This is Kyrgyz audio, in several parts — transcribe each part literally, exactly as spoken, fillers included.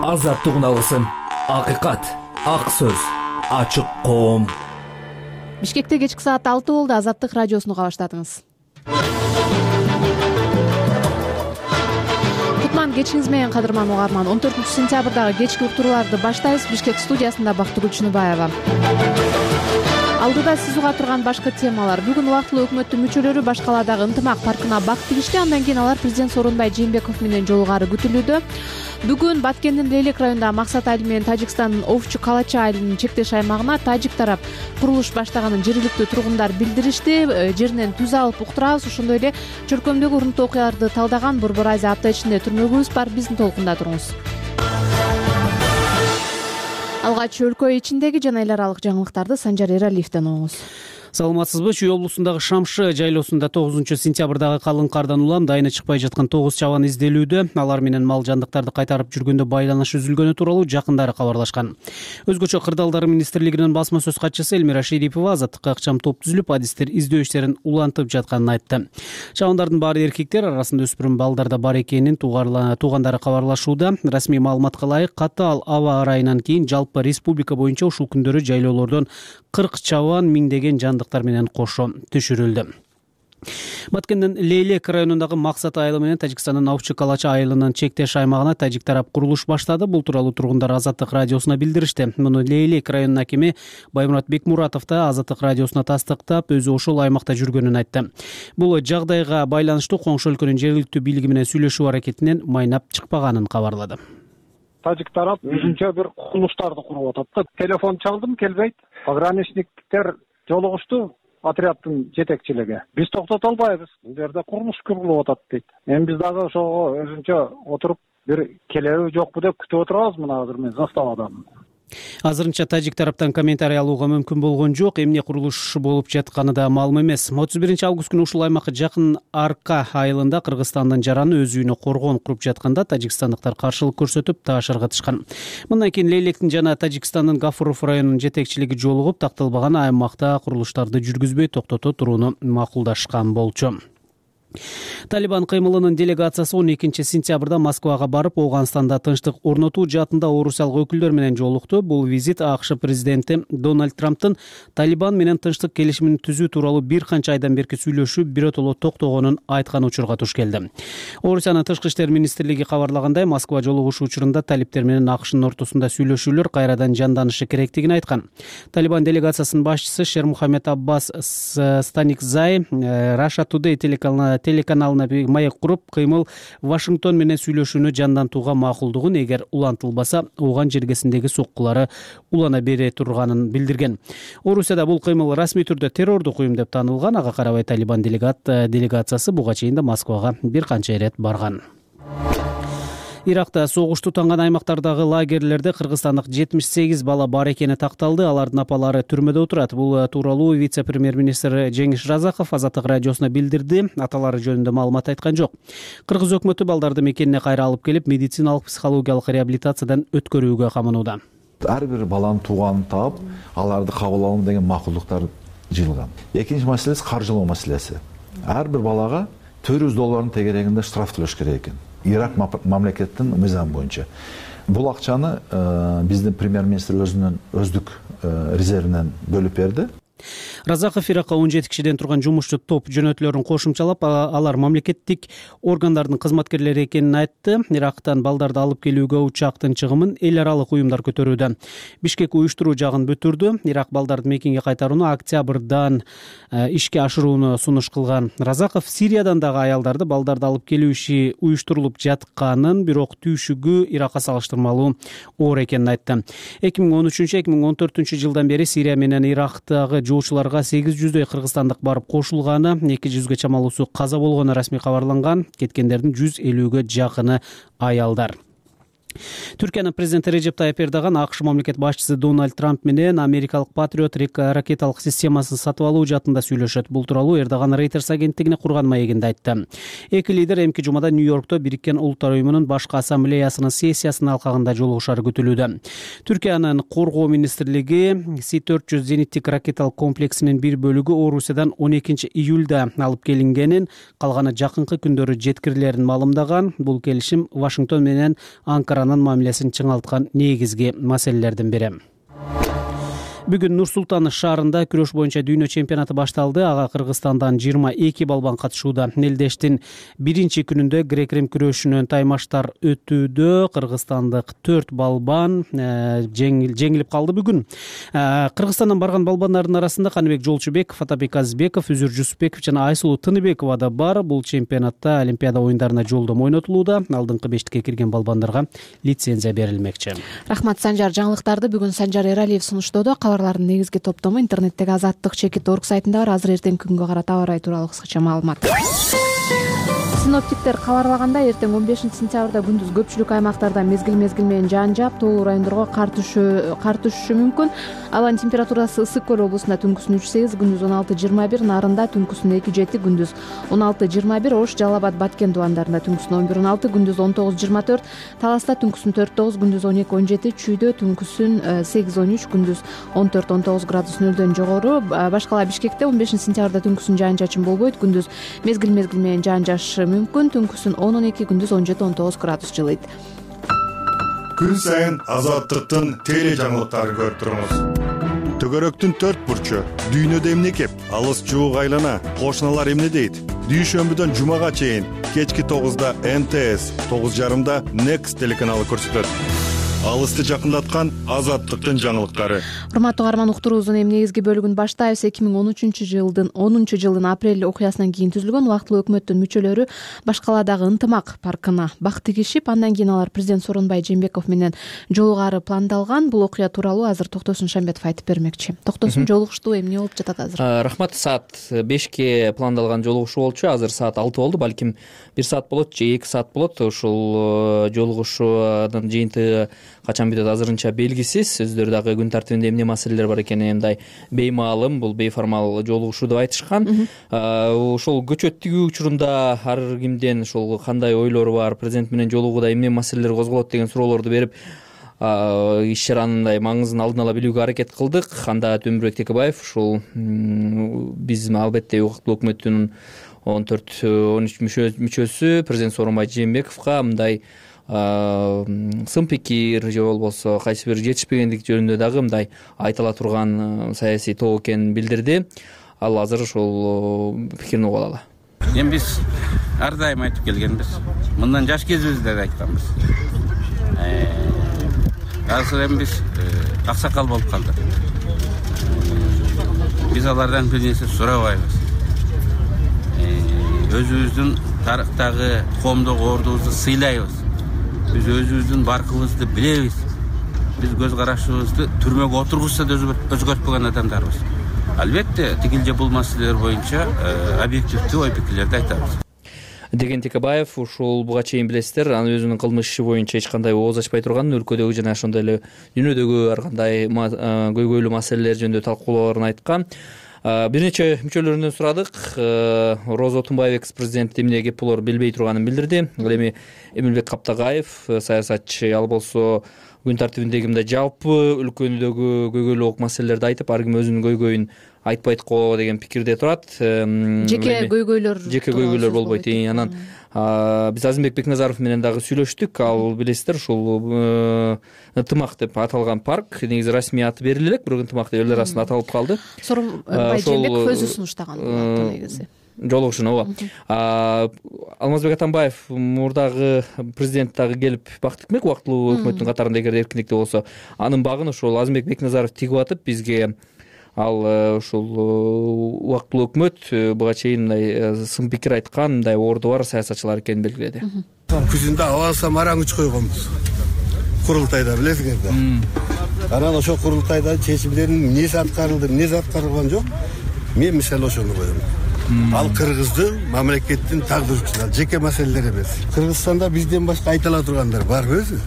азаттык алсын, акыйкат, ак сөз, ачык коом. Бишкекте кечки саат алты болду. Азаттык радиосуну уга баштадыңыз. Кутман кечиңиз менен, кадырман угарман. он төртүнчү сентябрдагы кечки уктурууларды баштайбыз. Бишкек студиясында Бактыгүл Чыныбаева. Алдыда сиз уга турган башка темалар. Бүгүн убактылуу өкмөттүн мүчөлөрү Баш калаадагы Ынтымак паркына бак тигишти. Андан кийин алар президент Сооронбай Жээнбеков менен жолугары күтүлүүдө. Бүгүн Баткендин Лейлек районундагы Максат айылы менен Тажикстандын Овчу Калача айылынын чектеш аймагына тажик тарап курулуш баштаганын жергиликтүү тургундар билдиришти. Жеринен түз алып уктурабыз. Ошондой эле чөркөмдөгү урунттуу окуяларды талдаган Борбор Азия апта ичинде түрмөгүбүз бар. Биздин толкунда туруңуз. Алгач өлкө ичиндеги жана эл аралык жаңылыктарды Санжар Эралиевден угуңуз. Саламатсызбы? Чүй облусундагы Шамшы жайлоосунда тогузунчу сентябрдагы калың кардан улам дайыны чыкпай жаткан тогуз чабан изделүүдө. Алар менен мал жандыктарды кайтарып жүргөндө байланыш үзүлгөнү тууралуу жакындары кабарлашкан. Өзгөчө Кырдаалдар министрлигинин басма сөз катчысы Элмира Шерипова азаттыкка ыкчам топ түзүлүп, адистер издөө иштерин улантып жатканын айтты. Чабандардын баары эркектер, арасында өспүрүм балдар да бар экенин туугандары кабарлашууда. Расмий маалыматка ылайык, катаал аба ырайынан кийин жалпы республика боюнча ушул күндөрү жайлоолордон кырк чабан миңдеген жандыктар менен кошо түшүрүлдү. Баткендин Лейлек районундагы Максат айылы менен Тажикстандын Овчу Калача айылынын чектеш аймагына тажик тарап курулуш баштады. Бул тууралуу тургундар Азаттык радиосуна билдиришти. Муну Лейлек районунун акими Баймурат Бекмуратов да Азаттык радиосуна тастыктап, өзү ошол аймакта жүргөнүн айтты. Бул жагдайга байланыштуу коңшу өлкөнүн жергиликтүү бийлиги менен сүйлөшүү аракетинен майнап чыкпаганын кабарлады. Тажик тарап өзүнчө бир курулуштарды куруп атат да. Телефон чалдым, келбейт. Пограничниктер жолугушту отряддын жетекчилиги. Биз токтото албайбыз. Бул жерде курулуш курулуп атат дейт. Эми биз дагы ошого өзүнчө отуруп бир келеби жокпу деп күтүп отурабыз. Мына азыр мен заставадамын. Азырынча тажик тараптан комментарий алууга мүмкүн болгон жок. Эмне курулуш болуп жатканы да маалым эмес. отуз биринчи август күнү ушул аймакка жакын Арка айылында Кыргызстандын жараны өз үйүнө коргоон куруп жатканда тажикстандыктар каршылык көрсөтүп таш ыргытышкан. Мындан кийин Лейлектин жана Тажикстандын Гафуров районунун жетекчилиги жолугуп, такталбаган аймакта курулуштарды жүргүзбөй токтото турууну макулдашкан болчу. Талибан кыймылынын делегациясы он экинчи сентябрда Москвага барып, Ооганстанда тынчтык орнотуу жаатында орусиялык өкүлдөр менен жолукту. Бул визит АКШ президенти Дональд Трамптын Талибан менен тынчтык келишимин түзүү тууралуу бир канча айдан берки сүйлөшүү биротоло токтогонун айткан учурга туш келди. Орусиянын тышкы иштер министрлиги кабарлагандай, Москва жолугушуу учурунда талиптер менен АКШнын ортосунда сүйлөшүүлөр кайрадан жанданышы керектигин айткан. Талибан делегациясынын башчысы Шермухамед Аббас Станикзай Russia Today телеканалына телеканалына маек куруп, кыймыл Вашингтон менен сүйлөшүүнү жандантууга макулдугун, эгер улантылбаса, ооган жергесиндеги соккулары улана бере турганын билдирген. Орусияда бул кыймыл расмий түрдө террордук уюм деп танылган. Ага карабай Талибан делегат делегациясы буга чейин да Москвага бир канча ирет барган. Иракта согушту танган аймактардагы лагерлерде кыргызстандык жетимиш сегиз бала бар экени такталды. Алардын апалары түрмөдө отурат. Бул тууралуу вице-премьер-министр Жеңиш Разаков Азаттык радиосуна билдирди. Аталары жөнүндө маалымат айткан жок. Кыргыз өкмөтү балдарды мекенине кайра алып келип, медициналык психологиялык реабилитациядан өткөрүүгө камынууда. Ар бир баланын тууганын таап, аларды кабыл алуу деген макулдуктар жыйылган. Экинчи маселеси каржылоо маселеси. Ар бир балага төрт жүз доллардын тегерегинде штраф төлөш керек экен. Ирак мамлекеттин мыйзамы боюнча. Бул акчаны биздин премьер-министр өзүнүн өздүк резервинен бөлүп берди. Разаков Иракка он жети кишиден турган жумушчу топ жөнөтүлөрүн кошумчалап, алар мамлекеттик органдардын кызматкерлери экенин айтты. Ирактан балдарды алып келүүгө учактын чыгымын эл аралык уюмдар көтөрүүдө. Бишкек уюштуруу жагын бүтүрдү. Ирак балдарды мекенге кайтарууну октябрдан ишке ашырууну сунуш кылган. Разаков Сириядан дагы аялдарды, балдарды алып келүү иши уюштурулуп жатканын, бирок түйшүгү Иракка салыштырмалуу оор экенин айтты. эки миң он үчүнчү эки миң он төртүнчү жылдан бери Сирия менен Ирактагы жоочуларга сегиз жүздөй кыргызстандык барып кошулганы, эки жүзгө чамалуусу каза болгону расмий кабарланган. Кеткендердин жүз элүүгө жакыны аялдар. Түркиянын президенти Режеп Тайып Эрдоган АКШ мамлекет башчысы Дональд Трамп менен америкалык Патриот ракеталык системасын сатып алуу жаатында сүйлөшөт. Бул тууралуу Эрдоган Reuters агенттигине курган маегинде айтты. Эки лидер эмки жумада Нью-Йоркто Бириккен Улуттар уюмунун башкы ассамблеясынын сессиясынын алкагында жолугушары күтүлүүдө. Түркиянын коргоо министрлиги Си төрт жүз зениттик ракеталык комплексинин бир бөлүгү Орусиядан он экинчи июлда алып келингенин, калганы жакынкы күндөрү жеткирилерин маалымдаган. Бул келишим Вашингтон менен Анкара чекаранын мамилесин чыңалткан негизги маселелердин бири. Бүгүн Нур-Султан шаарында күрөш боюнча дүйнө чемпионаты башталды. Ага Кыргызстандан жыйырма эки балбан катышууда. Элдештин биринчи күнүндө грек-рим күрөшүнөн таймаштар өтүүдө. Кыргызстандык төрт балбан жеңилип калды бүгүн. Кыргызстандан барган балбандардын арасында Каныбек Жолчубеков, Атабек Азбеков, Үзүр Жусупбеков жана Айсулуу Тыныбекова да бар. Бул чемпионатта Олимпиада оюндарына жолдомо ойнотулууда. Алдыңкы бештикке кирген балбандарга лицензия берилмекчи. Рахмат, Санжар. Жаңылыктарды бүгүн Санжар Эралиев сунуштоодо. Кабарлардын негизги топтому интернеттеги азаттык чекит точка орг сайтында бар. Азыр эртең күнгө карата аба ырайы тууралуу кыскача маалымат. Синоптиктер кабарлагандай, эртең он бешинчи сентябрда күндүз көпчүлүк аймактарда мезгил-мезгил менен жаан жаап, тоолуу райондорго кар түшү кар түшүшү мүмкүн. Абанын температурасы Ысык көл облусунда түнкүсүн үч сегиз, күндүз он алты жыйырма бир, Нарында түнкүсүн эки жети, күндүз он алты жыйырма бир, Ош, Жалал Абад, Баткен дубандарында түнкүсүн он бир он алты, күндүз он тогуз жыйырма төрт, Таласта түнкүсүн төрт тогуз, күндүз он эки он жети, Чүйдө түнкүсүн сегиз он үч, күндүз он төрт он тогуз градус нөлдөн жогору. Башкала Бишкекте он бешинчи сентябрда түнкүсүн жаан-чачын болбойт, күндүз мезгил-мезгил менен жаан жаашы мүмкүн, түнкүсүн он он эки, күндүз он жети он тогуз градус жылыйт. Күн сайын Азаттыктын теле жаңылыктарын көрүп туруңуз. Төгөрөктүн төрт бурчу, дүйнөдө эмне кеп, алыс жуук айлана, кошуналар эмне дейт? Дүйшөмбүдөн жумага чейин кечки тогузда эн тэ эс, тогуз жарымда Next телеканалы көрсөтөт. Алысты жакындаткан Азаттыктын жаңылыктары. Урматтуу каарман, уктуруубуздун эми негизги бөлүгүн баштайбыз. эки миң он үчүнчү жылдын онунчу жылдын апрель окуясынан кийин түзүлгөн убактылуу өкмөттүн мүчөлөрү Башкаладагы Ынтымак паркына бак тигишип, андан кийин алар президент Сооронбай Жээнбеков менен жолугары пландалган. Бул окуя тууралуу азыр Токтосун Шамбетов айтып бермекчи. Токтосун, жолугуштуу эмне болуп жатат азыр? Рахмат. Саат бешке пландалган жолугушуу болчу. Азыр саат алты болду. Балким бир саат болот же эки саат болот. Ушул жолугушуунун жыйынтыгы качан бүтөт азырынча белгисиз. Өздөрү дагы күн тартибинде эмне маселелер бар экени мындай беймаалым, бул бейформал жолугушуу деп айтышкан. Ошол көчөт тигүү учурунда ар кимден ушул кандай ойлору бар, президент менен жолугууда эмне маселелер козголот деген суроолорду берип, иш чаранын маңызын алдын ала билүүгө аракет кылдык. Анда Өмүрбек Текебаев, ушул биз албетте убактылуу өкмөттүн он төрт он үч мүчөсү президент Сооронбай Жээнбековго мындай сын пикир же болбосо кайсы бир жетишпегендик жөнүндө дагы мындай айтыла турган саясий топ экенин билдирди. Ал азыр ошол пикирин угуп алалы. Эми биз ар дайым айтып келгенбиз. Мындан жаш кезибизде да айтканбыз. Азыр эми биз аксакал болуп калдык. Биз алардан бир нерсе сурабайбыз. Өзүбүздүн тарыхтагы, коомдогу ордубузду сыйлайбыз. Биз өзүбүздүн баркыбызды билебиз. Биз көз карашыбызды түрмөгө отургузса да өзгөртпөгөн адамдарбыз. Албетте, тигил же бул маселелер боюнча объективдүү ой пикирлерди айтабыз. Деген Текебаев ушул буга чейин билесиздер, анын өзүнүн кылмыш иши боюнча эч кандай ооз ачпай турганын, өлкөдөгү жана ошондой эле дүйнөдөгү ар кандай көйгөйлүү маселелер жөнүндө талкуулоолорун айткан. Бир нече мүчөлөрүнөн сурадык. Роза Отунбаева экс-президент эмне кеп болор билбей турганын билдирди. Ал эми Эмилбек Каптагаев, саясатчы, ал болсо күн тартибиндеги мындай жалпы өлкөдөгү көйгөйлүү маселелерди айтып, ар ким өзүнүн көйгөйүн айтпайт го деген пикирде турат. Жеке көйгөйлөр жеке көйгөйлөр болбойт. Анан биз Азимбек Бекназаров менен дагы сүйлөштүк. Ал билесиздер, ушул Ынтымак деп аталган парк негизи расмий аты бериле элек, бирок Ынтымак деп эл арасында аталып калды. Сооронбай Жээнбеков өзү сунуштаган негизи жолугушууну. ооба. Алмазбек Атамбаев мурдагы президент дагы келип бак тикмек, убактылуу өкмөттүн катарында эгер эркиндикте болсо, анын багын ошол Азимбек Бекназаров тигип атып, бизге ал ушул убактылуу өкмөт буга чейин мындай сын пикир айткан, мындай орду бар саясатчылар экенин белгиледи. Күзүндө абалса мараң үч койгонбуз. Курултайда билесиңерби? Анан ошол курултайдын чечимдеринин эмнеси аткарылды, эмнеси аткарылган жок. Мен мисалы ошону коем. Ал кыргыздын мамлекеттин тагдырчылары, жеке маселелер эмес. Кыргызстанда бизден башка айта ала тургандар барбы өзү?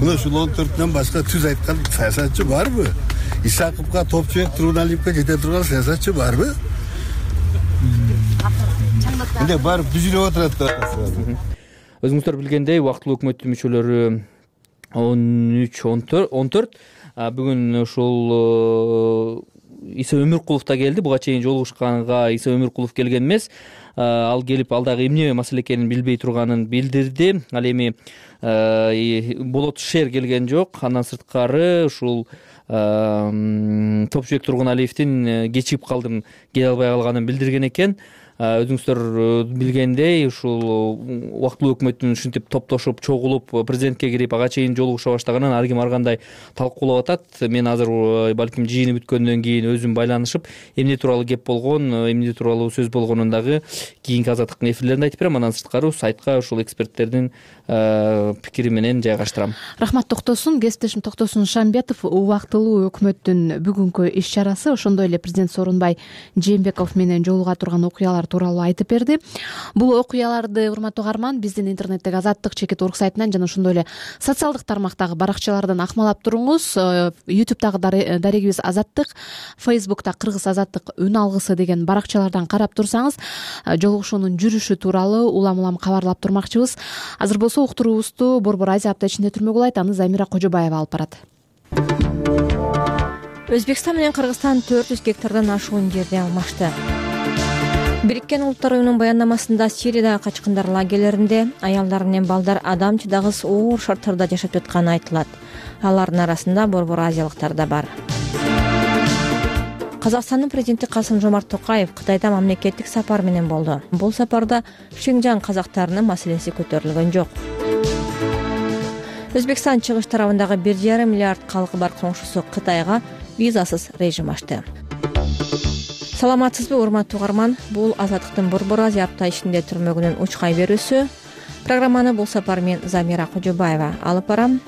Мына ушул он төрттөн башка түз айткан саясатчы барбы? Исаковго, Топчубек, Туруналиевге жете турган саясатчы барбы? Эмне барып бүжүрүп отурат да. Өзүңүздөр билгендей, убактылуу өкмөттүн мүчөлөрү он үч он төрт. Бүгүн ушул Иса Өмүркулов да келди. Буга чейин жолугушканга Иса Өмүркулов келген эмес. ал келип ал дагы эмне маселе экенин билбей турганын билдирди. Ал эми болот шер келген жок. Андан сырткары ушул Топчубек Тургуналиевдин кечигип калдым, келе албай калганын билдирген экен. Өзүңүздөр билгендей, ушул убактылуу өкмөттүн ушинтип топтошуп, чогулуп, президентке кирип, ага чейин жолугуша баштаганын ар ким ар кандай талкуулап атат. Мен азыр балким жыйыны бүткөндөн кийин өзүм байланышып, эмне тууралуу кеп болгон, эмне тууралуу сөз болгонун дагы кийинки Азаттыктын эфирлеринде айтып берем. Андан сырткары сайтка ушул эксперттердин пикири менен жайгаштырам. Рахмат Токтосун. Кесиптешим Токтосун Шамбетов убактылуу өкмөттүн бүгүнкү иш чарасы, ошондой эле президент Сооронбай Жээнбеков менен жолуга турган окуялар тууралуу айтып берди. Бул окуяларды, урматтуу угарман, биздин интернеттеги азаттык чекит орг сайтынан жана ошондой эле социалдык тармактагы баракчалардан акмалап туруңуз. Ютубтагы дарегибиз Азаттык, Фейсбукта Кыргыз Азаттык үн алгысы деген баракчалардан карап турсаңыз, жолугушуунун жүрүшү тууралуу улам-улам кабарлап турмакчыбыз. Азыр болсо уктуруубузду Борбор Азия апта ичинде түрмөгү улайт, аны Замира Кожобаева алып барат. Өзбекстан менен Кыргызстан төрт жүз гектардан ашуун жерди алмашты. Бириккен Улуттар уюмунун баяндамасында Сириядагы качкындар лагерлеринде аялдар менен балдар адам чыдагыс оор шарттарда жашап жатканы айтылат. Алардын арасында Борбор Азиялыктар да бар. Казакстандын президенти Касым-Жомарт Токаев Кытайда мамлекеттик сапар менен болду. Бул сапарда Шинжаң казактарынын маселеси көтөрүлгөн жок. Өзбекстан чыгыш тарабындагы бир жарым миллиард калкы бар коңшусу Кытайга визасыз режим ачты. Саламатсызбы, урматтуу угарман? Бул Азаттыктын Борбор Азия апта ичинде түрмөгүнүн учкай берүүсү. Программаны бул сапар мен Замира Кожобаева алып барам.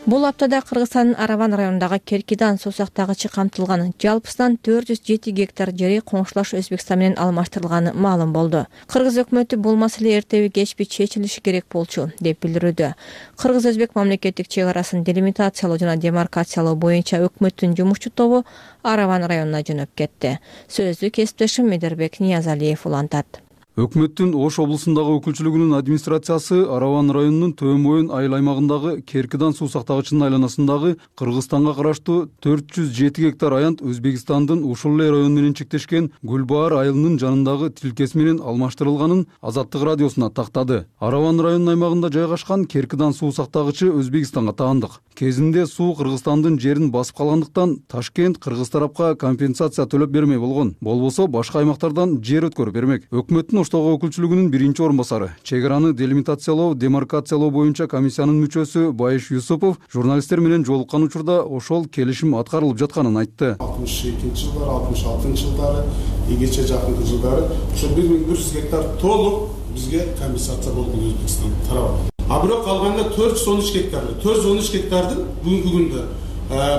Бул аптада Кыргызстандын Араван районундагы Керкидан суусактагычы камтылган жалпысынан төрт жүз жети гектар жери коңшулаш Өзбекстан менен алмаштырылганы маалым болду. Кыргыз өкмөтү бул маселе эртеби кечпи чечилиши керек болчу деп билдирүүдө. Кыргыз-өзбек мамлекеттик чек арасын делимитациялоо жана демаркациялоо боюнча өкмөттүн жумушчу тобу Араван районуна жөнөп кетти. Сөздү кесиптешим Медербек Ниязалиев улантат. Өкмөттүн Ош облусундагы өкүлчүлүгүнүн администрациясы Араван районунун Төөн Моюн айыл аймагындагы Керкидан суусактагычынын айланасындагы Кыргызстанга караштуу төрт жүз жети гектар аянт Өзбекстандын ушул эле району менен чектешкен Гүлбаар айылынын жанындагы тилкеси менен алмаштырылганын Азаттык радиосуна тактады. Араван районунун аймагында жайгашкан Керкидан суусактагычы Өзбекстанга таандык. Кезинде суу Кыргызстандын жерин басып калгандыктан Ташкент Кыргыз тарапка компенсация төлөп бермей болгон. Болбосо башка аймактардан жер өткөрүп бермек. Өкмөттүн Оштогу өкүлчүлүгүнүн биринчи орун басары, чек араны делимитациялоо, демаркациялоо боюнча комиссиянын мүчөсү Байыш Юсупов журналисттер менен жолуккан учурда ошол келишим аткарылып жатканын айтты. алтымыш экинчи жылдары, алтымыш алтынчы жылдары, игече жакынкы жылдары ошо бир миң бир жүз гектар толук бизге компенсация болгон Өзбекстан тарабы. А бирок калганда төрт жүз он үч гектар, төрт жүз он үч гектардын бүгүнкү күндө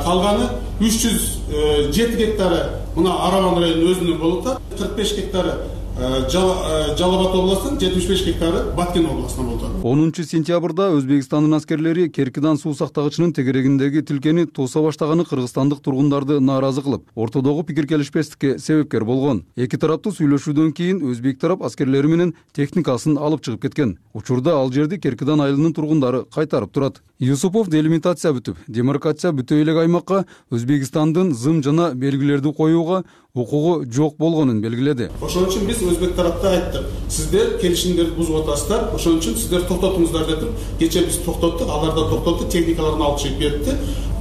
калганы үч жүз жети гектары мына Араван районунун өзүнөн болуп атат, кырк беш гектары Жалал Абад областынан, жетимиш беш гектары Баткен областынан болду. онунчу сентябрда Өзбекстандын аскерлери Керкидан суусактагычынын тегерегиндеги тилкени тууса баштаганы кыргызстандык тургундарды нааразы кылып, ортодогу пикир келишпестикке себепкер болгон. Эки тараптуу сүйлөшүүдөн кийин өзбек тарап аскерлери менен техникасын алып чыгып кеткен. Учурда ал жерди Керкидан айылынын тургундары кайтарып турат. Юсупов делимитация бүтүп, демаркация бүтө элек аймакка Өзбекстандын зым жана белгилерди коюуга укугу жок болгонун белгиледи. Ошон үчүн биз өзбек тарапта айттык. Сиздер келишимдерди бузуп атасыздар. Ошон үчүн сиздер токтотуңуздар деп туруп, кечээ биз токтоттук, алар да токтотду, техникаларын алып чыгып берди.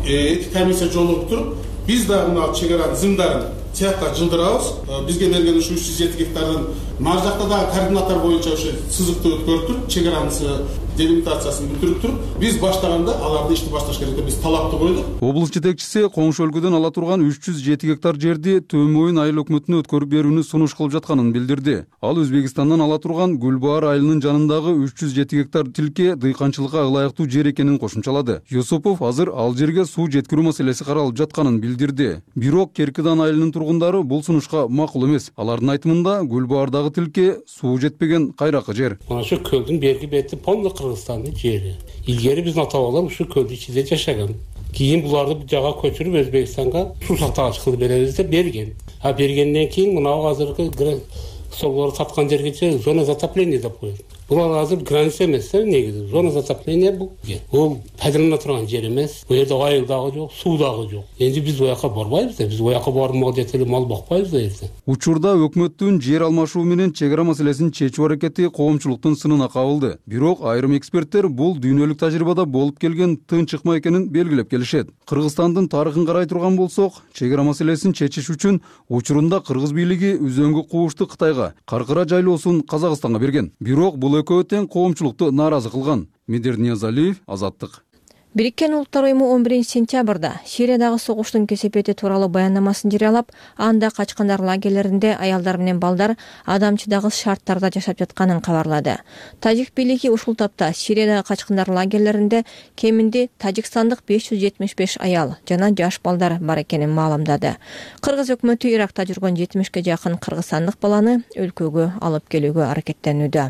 Эки комиссия жолугуп туруп, биз дагы мына чек аранын зымдарын цехка жылдырабыз. Бизге берген ушу үч жүз жети гектардын мар жакта дагы координаттар боюнча ошо сызыкты өткөрүп туруп, чек аранын делимитациясын бүтүрүп туруп, биз баштаганда аларды ишти башташ керек деп биз талапты койдук. Облус жетекчиси коңшу өлкөдөн ала турган үч жүз жети гектар жерди Төөн Моюн айыл өкмөтүнө өткөрүп берүүнү сунуш кылып жатканын билдирди. Ал Өзбекстандан ала турган Гүлбаар айылынын жанындагы үч жүз жети гектар тилке дыйканчылыкка ылайыктуу жер экенин кошумчалады. Юсупов азыр ал жерге суу жеткирүү маселеси каралып жатканын билдирди. Бирок Керкидан айылынын тургундары бул сунушка макул эмес. Алардын айтымында Гүлбаардагы тилке суу жетпеген кайракы жер. Мына ошо көлдүн берги бети полный Кыргызстандын жери. Илгери биздин ата бабалар ушу көлдүн ичинде жашаган. Кийин буларды бу жага көчүрүп Өзбекстанга суусактагыч кылып беребиз деп берген. А бергенден кийин мына азыркы соолор саткан жерге зона затопления деп коет. Булар азыр граница эмес да, негизи зона затопления бул. Бул пайдалана турган жер эмес. Бул жерде айыл дагы жок, суу дагы жок. Энди биз буяка барбайбыз да, биз буяка бармак жетели мал бакпайбыз да эртең. Учурда өкмөттүн жер алмашуу менен чек ара маселесин чечүү аракети коомчулуктун сынына кабылды. Бирок айрым эксперттер бул дүйнөлүк тажрыйбада болуп келген тын чыкма экенин белгилеп келишет. Кыргызстандын тарыхын карай турган болсок, чек ара маселесин чечиш үчүн учурунда кыргыз бийлиги үзөңгү кубушту Кытайга, Каркыра жайлоосун Казакстанга берген. Бирок бул экөө тең коомчулукту нааразы кылган. Медер Ниязалиев, Азаттык. Бириккен Улуттар уюму он биринчи сентябрда Сириядагы согуштун кесепети тууралуу баяндамасын жарыялап, анда качкандар лагерлеринде аялдар менен балдар адамчыдагы шарттарда жашап жатканын кабарлады. Тажик бийлиги ушул тапта Сириядагы качкандар лагерлеринде кеминде тажикстандык беш жүз жетимиш беш аял жана жаш балдар бар экенин маалымдады. Кыргыз өкмөтү Иракта жүргөн жетимишке жакын кыргызстандык баланы өлкөгө алып келүүгө аракеттенүүдө.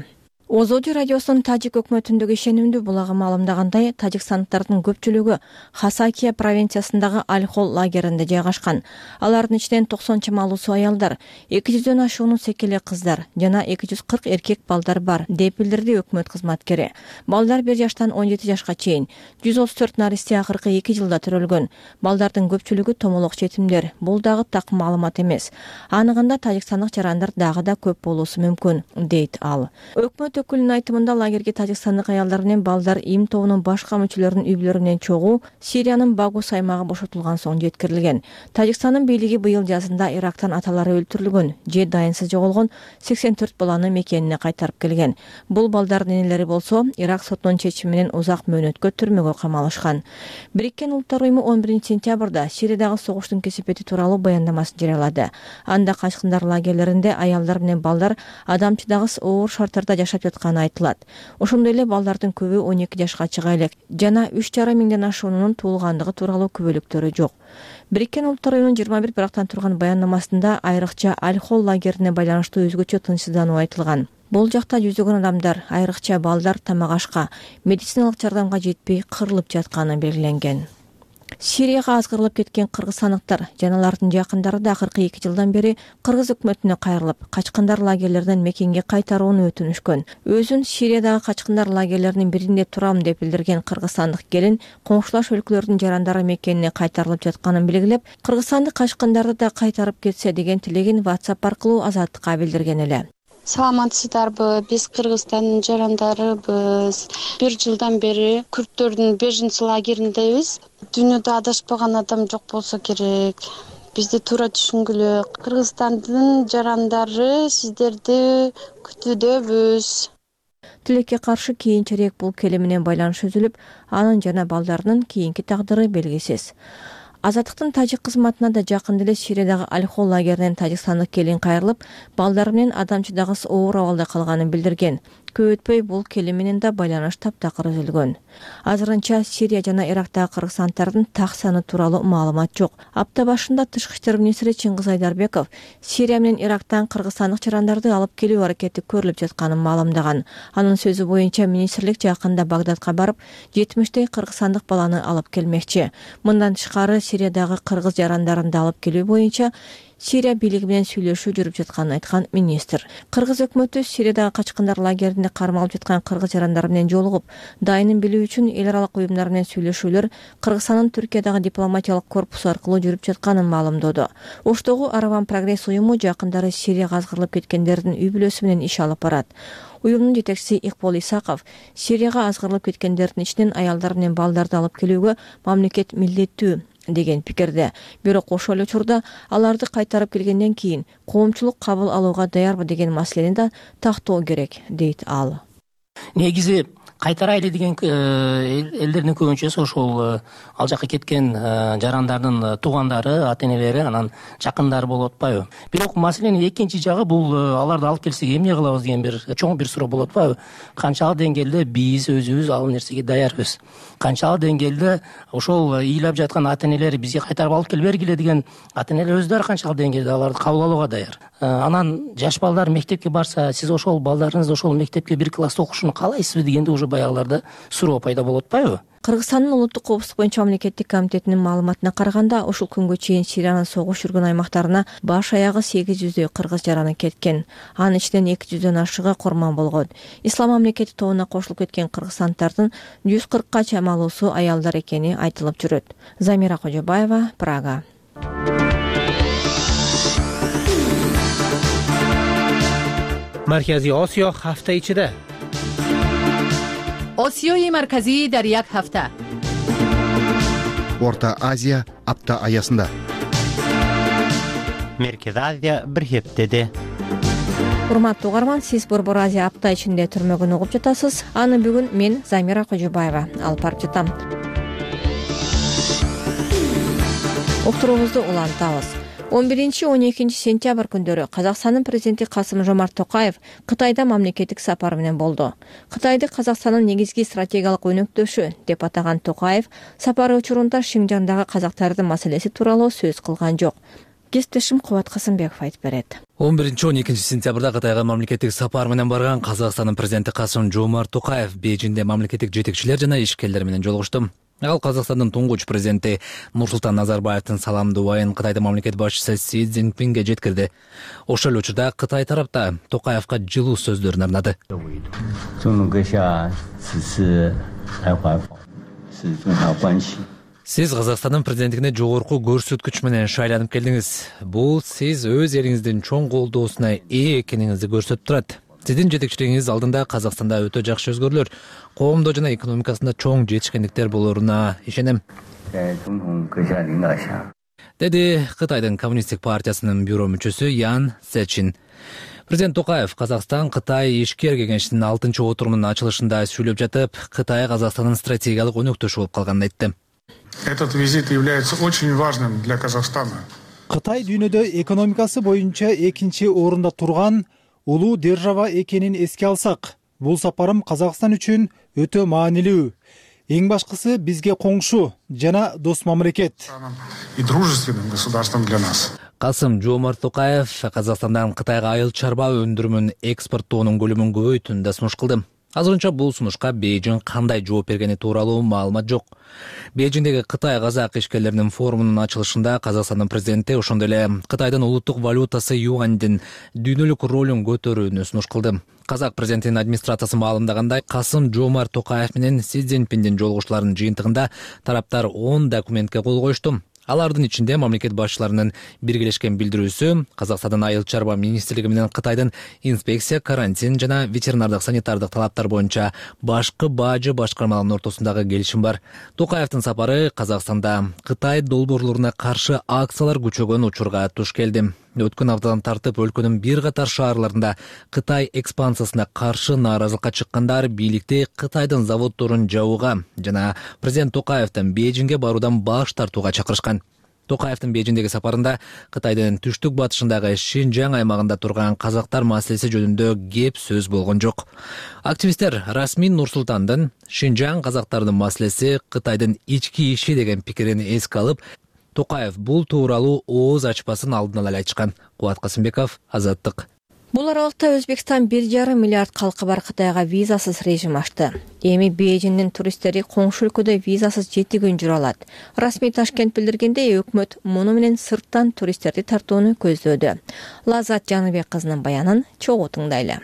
Озоди радиосунун тажик өкмөтүндөгү ишенимдүү булагы маалымдагандай, тажикстандыктардын көпчүлүгү Хасакия провинциясындагы Аль-Хол лагеринде жайгашкан. Алардын ичинен токсон чамалуусу аялдар, эки жүздөн ашуунун секеле кыздар жана эки жүз кырк эркек балдар бар, деп билдирди өкмөт кызматкери. Балдар бир жаштан он жети жашка чейин, жүз отуз төрт наристе акыркы эки жылда төрөлгөн. Балдардын көпчүлүгү томолок жетимдер. Бул дагы так маалымат эмес. Аныгында тажикстандык жарандар дагы да көп болуусу мүмкүн, дейт ал. Өкмөт өкүлүнүн айтымында лагерге тажикстандык аялдар менен балдар им тобунун башка мүчөлөрүнүн үй-бүлөлөрү менен чогуу Сириянын Багус аймагы бошотулган соң жеткирилген. Тажикстандын бийлиги быйыл жазында Ирактан аталары өлтүрүлгөн же дайынсыз жоголгон сексен төрт баланы мекенине кайтарып келген. Бул балдардын энелери болсо Ирак сотунун чечими менен узак мөөнөткө түрмөгө камалышкан. Бириккен Улуттар уюму он биринчи сентябрда Сириядагы согуштун кесепети тууралуу баяндамасын жарыялады. Анда качкындар лагерлеринде аялдар менен балдар адамчыдагы оор шарттарда жашап жатканы айтылат. Ошондой эле балдардын көбү он эки жашка чыга элек жана үч жарым миңден ашуунун туулгандыгы тууралуу күбөлүктөрү жок. Бириккен Улуттар уюмунун жыйырма бир бирактан турган баяндамасында айрыкча Аль-Хол лагерине байланыштуу өзгөчө тынчсыздануу айтылган. Бул жакта жүздөгөн адамдар, айрыкча балдар тамак ашка, медициналык жардамга жетпей кырылып жатканы белгиленген. Сирияга азгырылып кеткен кыргызстандыктар жана алардын жакындары да акыркы эки жылдан бери кыргыз өкмөтүнө кайрылып, качкындар лагерлеринен мекенге кайтарууну өтүнүшкөн. Өзүн Сириядагы качкындар лагерлеринин биринде турам деп билдирген кыргызстандык келин коңшулаш өлкөлөрдүн жарандары мекенине кайтарылып жатканын белгилеп, кыргызстандык качкындарды да кайтарып кетсе деген тилегин WhatsApp аркылуу Азаттыкка билдирген эле. Саламатсыздарбы? Биз Кыргызстандын жарандарыбыз. Бир жылдан бери күрттөрдүн беженцы лагериндебиз. Дүйнөдө адашпаган адам жок болсо керек. Бизди туура түшүнгүлө. Кыргызстандын жарандары сиздерди күтүүдөбүз. Тилекке каршы кийинчерээк бул келе менен байланыш үзүлүп, анын жана балдарынын кийинки тагдыры белгисиз. Азаттыктын тажик кызматына да жакын эле Сириядагы Аль-Хол лагеринен тажикстандык келин кайрылып, балдары менен адамчыдагы оор абалда калганын билдирген. Көп өтпөй бул келин менен да байланыш таптакыр үзүлгөн. Азырынча Сирия жана Ирактагы кыргызстандардын так саны тууралуу маалымат жок. Апта башында тышкы иштер министри Чыңгыз Айдарбеков Сирия менен Ирактан кыргызстандык жарандарды алып келүү аракети көрүлүп жатканын маалымдаган. Анын сөзү боюнча министрлик жакында Багдадка барып, жетимиштей кыргызстандык баланы алып келмекчи. Мындан тышкары Сириядагы кыргыз жарандарын да алып келүү боюнча Сирия бийлиги менен сүйлөшүү жүрүп жатканын айткан министр. Кыргыз өкмөтү Сириядагы качкындар лагеринде кармалып жаткан кыргыз жарандары менен жолугуп, дайынын билүү үчүн эл аралык уюмдар менен сүйлөшүүлөр Кыргызстандын Түркиядагы дипломатиялык корпусу аркылуу жүрүп жатканын маалымдоду. Оштогу Араван Прогресс уюму жакындары Сирияга азгырылып кеткендердин үй-бүлөсү менен иш алып барат. Уюмдун жетекчиси Икбол Исаков Сирияга азгырылып кеткендердин ичинен аялдар менен балдарды алып келүүгө мамлекет милдеттүү деген пикирде. Бирок ошол эле учурда аларды кайтарып келгенден кийин коомчулук кабыл алууга даярбы деген маселени да тактоо керек, дейт ал. Негизи кайтарайлы деген элдердин көбүнчөсү ошол ал жака кеткен жарандардын туугандары, ата-энелери, анан жакындары болуп атпайбы? Бирок маселенин экинчи жагы бул аларды алып келсек эмне кылабыз деген бир чоң бир суроо болуп атпайбы? Канчалык деңгээлде биз өзүбүз ал нерсеге даярбыз? Канчалык деңгээлде ошол ыйлап жаткан ата-энелер бизге кайтарып алып келип бергиле деген ата-энелер өздөрү канчалык деңгээлде аларды кабыл алууга даяр? Анан жаш балдар мектепке барса, сиз ошол балдарыңыз ошол мектепке бир класста окушун каалайсызбы дегенде уже баягыларда суроо пайда болуп атпайбы? Кыргызстандын улуттук коопсуздук боюнча мамлекеттик комитетинин маалыматына караганда, ушул күнгө чейин Сириянын согуш жүргөн аймактарына баш аягы сегиз жүздөй кыргыз жараны кеткен. Анын ичинен эки жүздөн ашыгы курман болгон. Ислам мамлекети тобуна кошулуп кеткен кыргызстандардын жүз кыркка чамалуусу аялдар экени айтылып жүрөт. Замира Кожобаева, Прага. Маркази Осиё ҳафта ичида. Осиёи марказӣ дар як ҳафта. Орта Азия апта аясында. Меркези Азия бир хептеде. Урматтуу угарман, сиз Борбор Азия апта ичинде түрмөгүн угуп жатасыз. Аны бүгүн мен Замира Кожобаева алып барып жатам. Уктуруубузду улантабыз. он биринчи он экинчи сентябрь күндөрү Казакстандын президенти Касым-Жомарт Токаев Кытайда мамлекеттик сапар менен болду. Кытайды Казакстандын негизги стратегиялык өнөктөшү деп атаган Токаев сапары учурунда Шинжаңдагы казактардын маселеси тууралуу сөз кылган жок. Кесиптешим Кубат Касымбеков айтып берет. он биринчи он экинчи сентябрда Кытайга мамлекеттик сапар менен барган Казакстандын президенти Касым-Жомарт Токаев Бейжиңде мамлекеттик жетекчилер жана ишкерлер менен жолугушту. Ал Казакстандын туңгуч президенти Нурсултан Назарбаевдин саламдуу убайын Кытайдын мамлекет башчысы Си Цзиньпинге жеткирди. Ошол эле учурда Кытай тарапта Токаевга жылуу сөздөрүн арнады. Сиз Казакстандын президенттигине жогорку көрсөткүч менен шайланып келдиңиз. Бул сиз өз элиңиздин чоң колдоосуна ээ экениңизди көрсөтүп турат. Сиздин жетекчилигиңиз алдында Казакстанда өтө жакшы өзгөрүүлөр, коомдо жана экономикасында чоң жетишкендиктер болоруна ишенем. Деди Кытайдын Коммунисттик партиясынын бюро мүчөсү Ян Сэчин. Президент Токаев Казакстан Кытай ишкер кеңешинин алтынчы отурумунун ачылышында сүйлөп жатып, Кытай Казакстандын стратегиялык өнөктөшү болуп калганын айтты. Этот визит является очень важным для Казахстана. Кытай дүйнөдө экономикасы боюнча экинчи орунда турган улуу держава экенин эске алсак, бул сапарым Казакстан үчүн өтө маанилүү. Эң башкысы бизге коңшу жана дос мамлекет. И дружественным государством для нас. Касым-Жомарт Токаев Казакстандан Кытайга айыл чарба өндүрүмүн экспорттоонун көлөмүн көбөйтүүнү да сунуш кылды. Азырынча бул сунушка Бейжиң кандай жооп бергени тууралуу маалымат жок. Бейжиңдеги Кытай-Казак ишкерлеринин форумунун ачылышында Казакстандын президенти ошондой эле Кытайдын улуттук валютасы юаньдин дүйнөлүк ролун көтөрүүнү сунуш кылды. Казак президентинин администрациясы маалымдагандай, Касым-Жомарт Токаев менен Си Цзиньпиндин жолугушууларынын жыйынтыгында тараптар он документке кол коюшту. Алардын ичинде мамлекет башчыларынын биргелешкен билдирүүсү, Казакстандын айыл чарба министрлиги менен Кытайдын инспекция, карантин жана ветеринардык санитардык талаптар боюнча башкы бажы башкармаларынын ортосундагы келишим бар. Токаевдин сапары Казакстанда Кытай долбоорлоруна каршы акциялар күчөгөн учурга туш келди. Өткөн аптадан тартып өлкөнүн бир катар шаарларында Кытай экспансиясына каршы нааразылыкка чыккандар бийликти Кытайдын заводдорун жабууга жана президент Токаевдин Бейжиңге баруудан баш тартууга чакырышкан. Токаевдин Бейжиңдеги сапарында Кытайдын түштүк батышындагы Шинжаң аймагында турган казактар маселеси жөнүндө кеп сөз болгон жок. Активисттер расмий Нурсултандын Шинжаң казактарынын маселеси Кытайдын ички иши деген пикирин эске алып, Токаев бул тууралуу ооз ачпасын алдын ала айтышкан. Кубат Касымбеков, Азаттык. Бул аралыкта Өзбекстан бир жарым миллиард калкы бар Кытайга визасыз режим ачты. Эми Бейжиңдин туристтери коңшу өлкөдө визасыз жети күн жүрө алат. Расмий Ташкент билдиргендей, өкмөт муну менен сырттан туристтерди тартууну көздөөдө. Лаззат Жаныбек кызынын баянын чогуу тыңдайлы.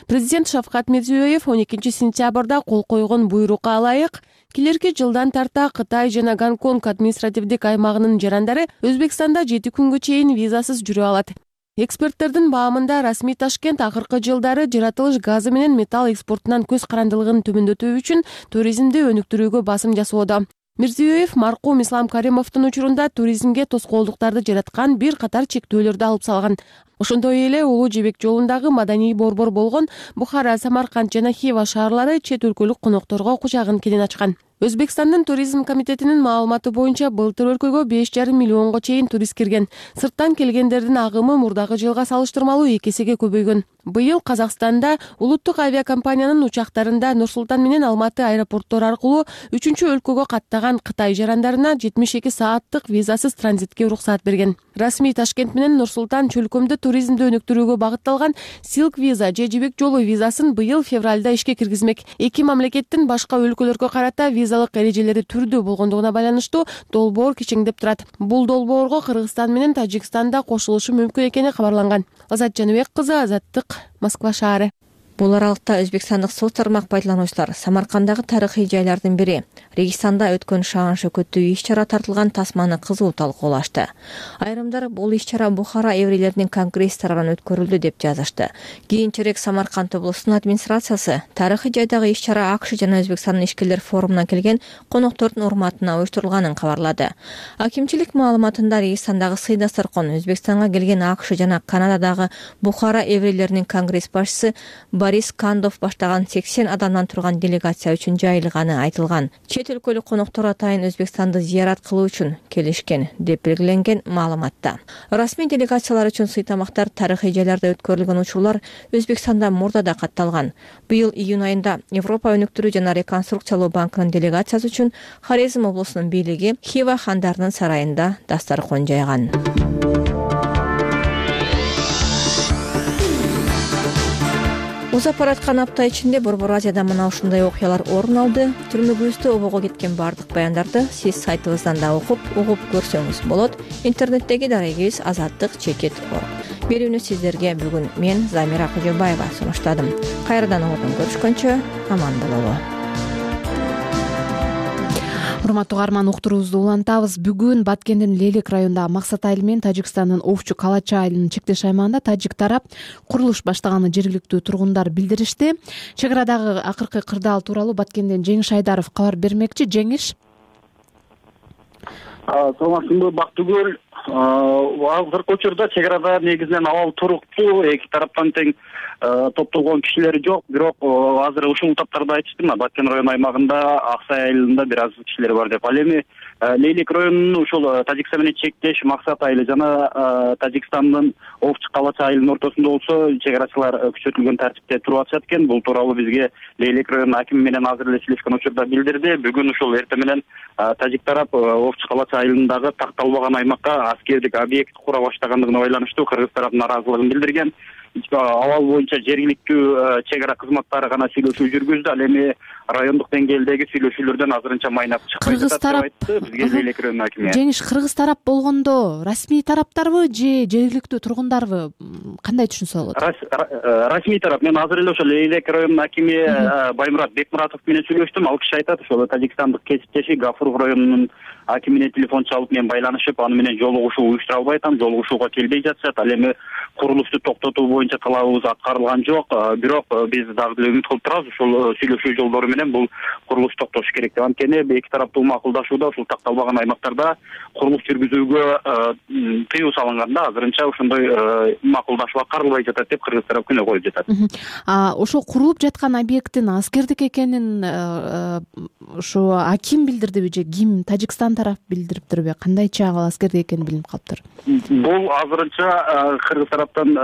Президент Шавкат Мирзиёев он экинчи сентябрда кол койгон буйрукка ылайык келерки жылдан тарта Кытай жана Гонконг административдик аймагынын жарандары Өзбекстанда жети күнгө чейин визасыз жүрө алат. Эксперттердин баамында расмий Ташкент акыркы жылдары жаратылыш газы менен металл экспортунан көз карандылыгын төмөндөтүү үчүн туризмди өнүктүрүүгө басым жасоодо. Мирзиёев маркум Ислам Каримовдун учурунда туризмге тоскоолдуктарды жараткан бир катар чектөөлөрдү алып салган. Ошондой эле Улуу Жебек жолундагы маданий борбор болгон Бухара, Самарканд жана Хива шаарлары чет өлкөлүк конокторго кучагын кенен ачкан. Өзбекстандын туризм комитетинин маалыматы боюнча былтыр өлкөгө беш жарым миллионго чейин турист кирген. Сырттан келгендердин агымы мурдагы жылга салыштырмалуу эки эсеге көбөйгөн. быйыл Казакстанда улуттук авиакомпаниянын учактарында Нур Султан менен Алматы аэропорттору аркылуу үчүнчү өлкөгө каттаган Кытай жарандарына жетимиш эки сааттык визасыз транзитке уруксаат берген. Расмий Ташкент менен Нур Султан чөлкөмдү туризмди өнүктүрүүгө багытталган Silk виза же жибек жолу визасын быйыл февралда ишке киргизмек. Эки мамлекеттин башка өлкөлөргө карата визалык эрежелери түрдүү болгондугуна байланыштуу долбоор кичиңдеп турат. Бул долбоорго Кыргызстан менен Тажикстан да кошулушу мүмкүн экени кабарланган. Азат Жаныбек кызы, Азаттык, Москва шаары. Бул аралыкта өзбекстандык соц тармак пайдалануучулар Самаркандагы тарыхый жайлардын бири Регистанда өткөн шаан шөкөттүү иш-чара тартылган тасманы кызуу талкуулашты. Айрымдар бул иш-чара Бухара еврейлеринин конгресси тарабынан өткөрүлдү деп жазышты. Кийинчерээк Самарканд облусунун администрациясы тарыхый жайдагы иш-чара АКШ жана Өзбекстандын ишкерлер форумуна келген коноктордун урматына уюштурулганын кабарлады. Акимчилик маалыматында Регистандагы сый дасторкон Өзбекстанга келген АКШ жана Канададагы Бухара еврейлеринин конгресс башчысы Борис Кандов баштаган сексен адамдан турган делегация үчүн жайылганы айтылган. Чет өлкөлүк коноктор атайын Өзбекстанды зыярат кылуу үчүн келишкен деп белгиленген маалыматта. Расмий делегациялар үчүн сый тамактар тарыхый жайларда өткөрүлгөн учурлар Өзбекстанда мурда да катталган. Быйыл июнь айында Европа өнүктүрүү жана реконструкциялоо банкынын делегациясы үчүн Хорезм облусунун бийлиги Хива хандарынын сарайында дасторкон жайган. Узап бараткан апта ичинде Борбор Азияда мына ушундай окуялар орун алды. Түрмөгүбүздө обого кеткен бардык баяндарды сиз сайтыбыздан да окуп, угуп көрсөңүз болот. Интернеттеги дарегибиз азаттык чекит точка орг. Берүүнү сиздерге бүгүн мен Замира Кожобаева сунуштадым. Кайрадан оңодон көрүшкөнчө аман бололу. Урматтуу угарман, уктуруубузду улантабыз. Бүгүн Баткендин Лелек районундагы Максат айылы менен Тажикстандын Овчу Калача айылынын чектеш аймагында тажик тарап курулуш баштаганын жергиликтүү тургундар билдиришти. Чек арадагы акыркы кырдаал тууралуу Баткенден Жеңиш Айдаров кабар бермекчи. Жеңиш. Саламатсызбы, Бактыгүл. Азыркы учурда чек арада негизинен абал туруктуу, эки тараптан тең топтолгон кишилер жок, бирок азыр ушул таптарда айтыштым, Баткен району аймагында Аксай айылында бир аз кишилер бар деп. Ал эми Лейлек районунун ушул Тажикстан менен чектеш Максат айылы жана Тажикстандын Овчу Калача айылынын ортосунда болсо чек арачылар күчөтүлгөн тартипте туруп атышат экен. Бул тууралуу бизге Лейлек районунун акими менен азыр эле сүйлөшкөн учурда билдирди. Бүгүн ушул эртең менен тажик тарап Овчу Калача айылындагы такталбаган аймакка аскердик объект кура баштагандыгына байланыштуу кыргыз тарап нааразылыгын билдирген. Абал боюнча жергиликтүү чек ара кызматтары гана сүйлөшүү жүргүздү. Ал эми райондук деңгээлдеги сүйлөшүүлөрдөн азырынча майнап чыкпай жатат деп айтты бизге Лейлек районунун акими. Жеңиш, кыргыз тарап болгондо расмий тараптарбы же жергиликтүү тургундарбы? Кандай түшүнсө болот? Расмий тарап. Мен азыр эле ошо Лейлек районунун акими Баймурат Бекмуратов менен сүйлөштүм. Ал киши айтат, ошол Тажикстандык кесиптеши Гафуров районунун акимине телефон чалып мен байланышып, аны менен жолугушуу уюштура албай атам, жолугушууга келбей жатышат. Ал эми курулушту токтотуу боюнча талабыбыз аткарылган жок, бирок биз дагы деле үмүт кылып турабыз, ушул сүйлөшүү жолдору менен бул курулуш токтошу керек деп. Анткени эки тараптуу макулдашууда ушул такталбаган аймактарда курулуш жүргүзүүгө тыюу салынганда азырынча ошондой макулдашуу аткарылбай жатат деп кыргыз тарап күнөө коюп жатат. Ошо курулуп жаткан объекттин аскердик экенин ошо аким билдирдиби же ким? Тажикстан тарап билдириптирби? Кандайча ал аскердик экени билинип калыптыр? Бул азырынча кыргыз тараптан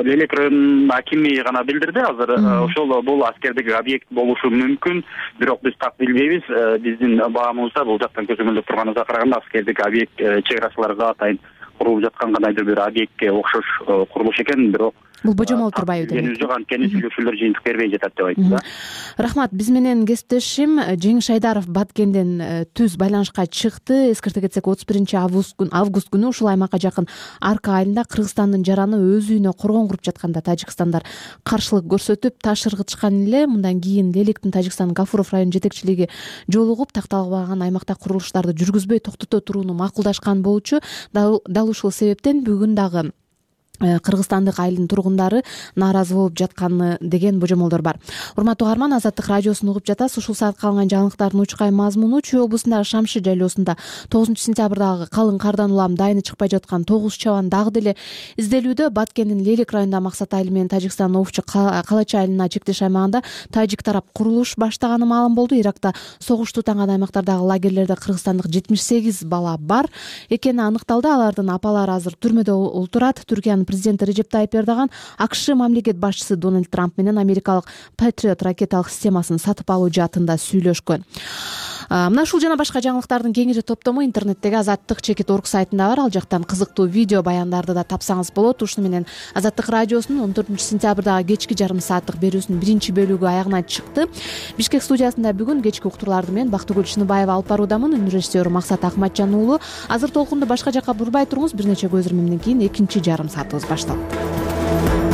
Лейлек районунун акими гана билдирди. Азыр ошол бул аскердик объект болушу мүмкүн, бирок биз так билбейбиз. Биздин баамыбызда бул жактан көзөмөлдөп турганыбызга караганда аскердик объект чек арачыларга атайын курулуп жаткан кандайдыр бир объектке окшош курулуш экен, бирок бул божомол турбайбы деп. Кенү жок, анткени сүйлөшүүлөр жыйынтык бербей жатат деп айтты. Рахмат. Биз менен кесиптешим Жеңиш Айдаров Баткенден түз байланышка чыкты. Эскерте кетсек, отуз биринчи август күнү ушул аймакка жакын Арка айылында Кыргызстандын жараны өз үйүнө коргон куруп жатканда тажикстандар каршылык көрсөтүп таш ыргытышкан эле. Мындан кийин Лелектин Тажикстан Гафуров район жетекчилиги жолугуп такталбаган аймакта курулуштарды жүргүзбөй токтото турууну макулдашкан болчу. Дал ушул себептен бүгүн дагы кыргызстандык айылдын тургундары нааразы болуп жатканы деген божомолдор бар. Урматтуу угарман, Азаттык радиосун угуп жатасыз. Ушул саат калган жаңылыктардын учкай мазмуну Чүй облусундагы Шамшы жайлоосунда тогузунчу сентябрдагы калың кардан улам дайыны чыкпай жаткан тогуз чабан дагы деле изделүүдө. Баткендин Лелек районунда Максат айылы менен Тажикстандын Овчу Калача айылына чектеш аймагында тажик тарап курулуш баштаганы маалым болду. Иракта согуш тутанган аймактардагы лагерлерде кыргызстандык жетимиш сегиз бала бар экени аныкталды. Алардын апалары азыр түрмөдө олтурат. Түркиянын Кыргызстандын президенти Режеп Тайип Эрдоган АКШ мамлекет башчысы Дональд Трамп менен америкалык Patriot ракеталык системасын сатып алуу жаатында сүйлөшкөн. Мына ушул жана башка жаңылыктардын кеңири топтому интернеттеги Азаттык чекит орг сайтында бар. Ал жактан кызыктуу видео баяндарды да тапсаңыз болот. Ушуну менен Азаттык радиосунун он төртүнчү сентябрдагы кечки жарым сааттык берүүсүнүн биринчи бөлүгү аягына чыкты. Бишкек студиясында бүгүн кечки уктурларды менен Бактыгүл Чыныбаева алып баруудамын. Үн режиссеру Максат Акматжан уулу. Азыр толкунду башка жакка бурбай туруңуз. Бир нече көз ирмемден кийин экинчи жарым саатыбыз башталат.